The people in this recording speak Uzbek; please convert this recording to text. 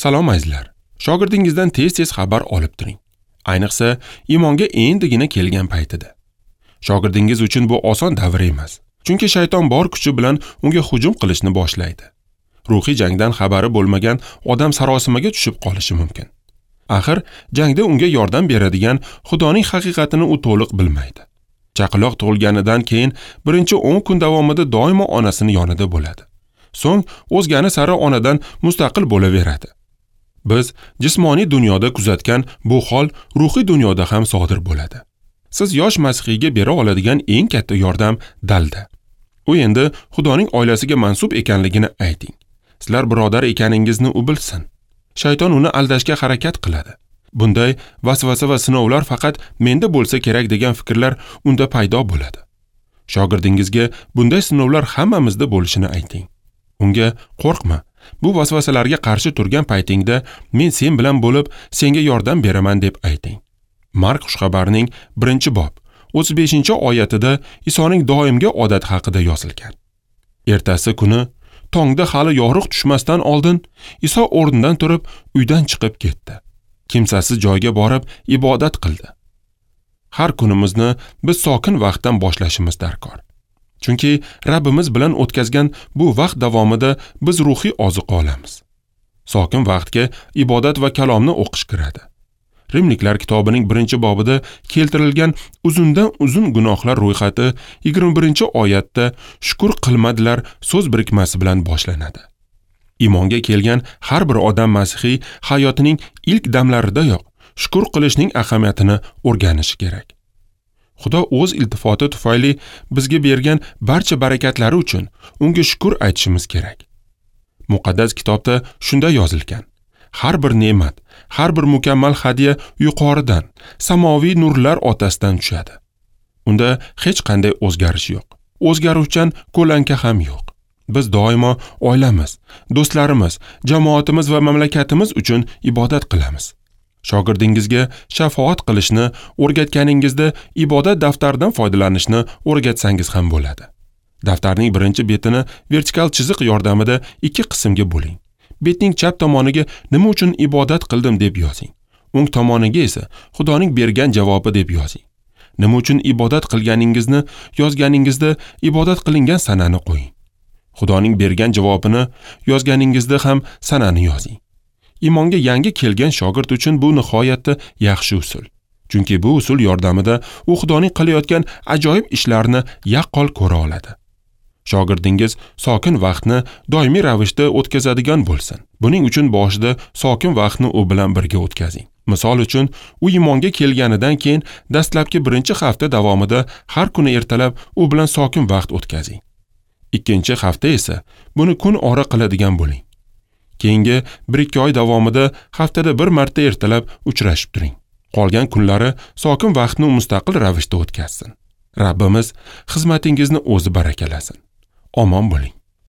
Salom azizlar. Shogirdingizdan tez-tez xabar olib turing. Ayniqsa, iymonga endigina kelgan paytida. Shogirdingiz uchun bu oson davr emas. Chunki shayton bor kuchi bilan unga hujum qilishni boshlaydi. Ruhiy jangdan xabari bo'lmagan odam sarosimaga tushib qolishi mumkin. Axir, jangda unga yordam beradigan Xudoning haqiqatini u to'liq bilmaydi. Chaqaloq tug'ilganidan keyin birinchi 10 kun davomida doimo onasini yonida bo'ladi. So'ng o'zgani sari onadan mustaqil bo'laveradi. Biz jismoniy dunyoda kuzatgan bu hol ruhiy dunyoda ham sodir bo'ladi. Siz yosh masihiyga bera oladigan eng katta yordam dalda. U endi Xudoning oilasiga mansub ekanligini ayting. Sizlar birodar ekaningizni u bilsin. Shayton uni aldashga harakat qiladi. Bunday vasvasa va sinovlar faqat menda bo'lsa kerak degan fikrlar unda paydo bo'ladi. Shogirdingizga bunday sinovlar hammamizda bo'lishini ayting. Unga qo'rqma, bu vasvasalarga qarshi turgan paytingda men sen bilan bo'lib, senga yordam beraman deb ayting. Mark xushxabarining 1-bob 35-oyatida Isoning doimgi odati haqida yozilgan. Ertasi kuni tongda hali yorug' tushmasdan oldin Iso o'rnidan turib uydan chiqib ketdi. Kimsasiz joyga borib ibodat qildi. Har kunimizni biz sokin vaqtdan boshlashimiz darkor. Chunki Rabbimiz bilan o'tkazgan bu vaqt davomida biz ruhiy oziq olamiz. Sokin vaqtga ibodat va kalomni o'qish kiradi. Rimliklar kitobining 1-bobida keltirilgan uzundan uzun gunohlar ro'yxati 21-oyatda shukr qilmadilar so'z birikmasi bilan boshlanadi. Iymonga kelgan har bir odam masihiy hayotining ilk damlaridayoq shukr qilishning ahamiyatini o'rganishi kerak. Xudo o'z iltifoti tufayli bizga bergan barcha barakatlari uchun unga shukr aytishimiz kerak. Muqaddas kitobda shunday yozilgan: har bir ne'mat, har bir mukammal hadya yuqoridan, samoviy nurlar otasidan tushadi. Unda hech qanday o'zgarish yo'q. O'zgaruvchan ko'lanka ham yo'q. Biz doimo oilamiz, do'stlarimiz, jamoatimiz va mamlakatimiz uchun ibodat qilamiz. Shogirdingizga shafoat qilishni o'rgatganingizda ibodat daftaridan foydalanishni o'rgatsangiz ham bo'ladi. Daftarning birinchi betini vertikal chiziq yordamida 2 qismga bo'ling. Betning chap tomoniga nima uchun ibodat qildim deb yozing. O'ng tomoniga esa Xudoning bergan javobi deb yozing. Nima uchun ibodat qilganingizni yozganingizda ibodat qilingan sanani qo'ying. Xudoning bergan javobini yozganingizda ham sanani yozing. Iymonga yangi kelgan shogird uchun bu nihoyatda yaxshi usul. Chunki bu usul yordamida u Xudoning qilayotgan ajoyib ishlarini yaqqol ko'ra oladi. Shogirdingiz sokin vaqtni doimiy ravishda o'tkazadigan bo'lsin. Buning uchun boshida sokin vaqtni u bilan birga o'tkazing. Misol uchun, u iymonga kelganidan keyin dastlabki 1-hafta davomida har kuni ertalab u bilan sokin vaqt o'tkazing. 2-hafta esa buni kun ora qiladigan bo'ling. Keyingi 1-2 oy davomida haftada bir marta ertalab uchrashib turing. Qolgan kunlari sokin vaqtni mustaqil ravishda o'tkazsin. Rabbimiz xizmatingizni o'zi barakalasin. Omon bo'ling.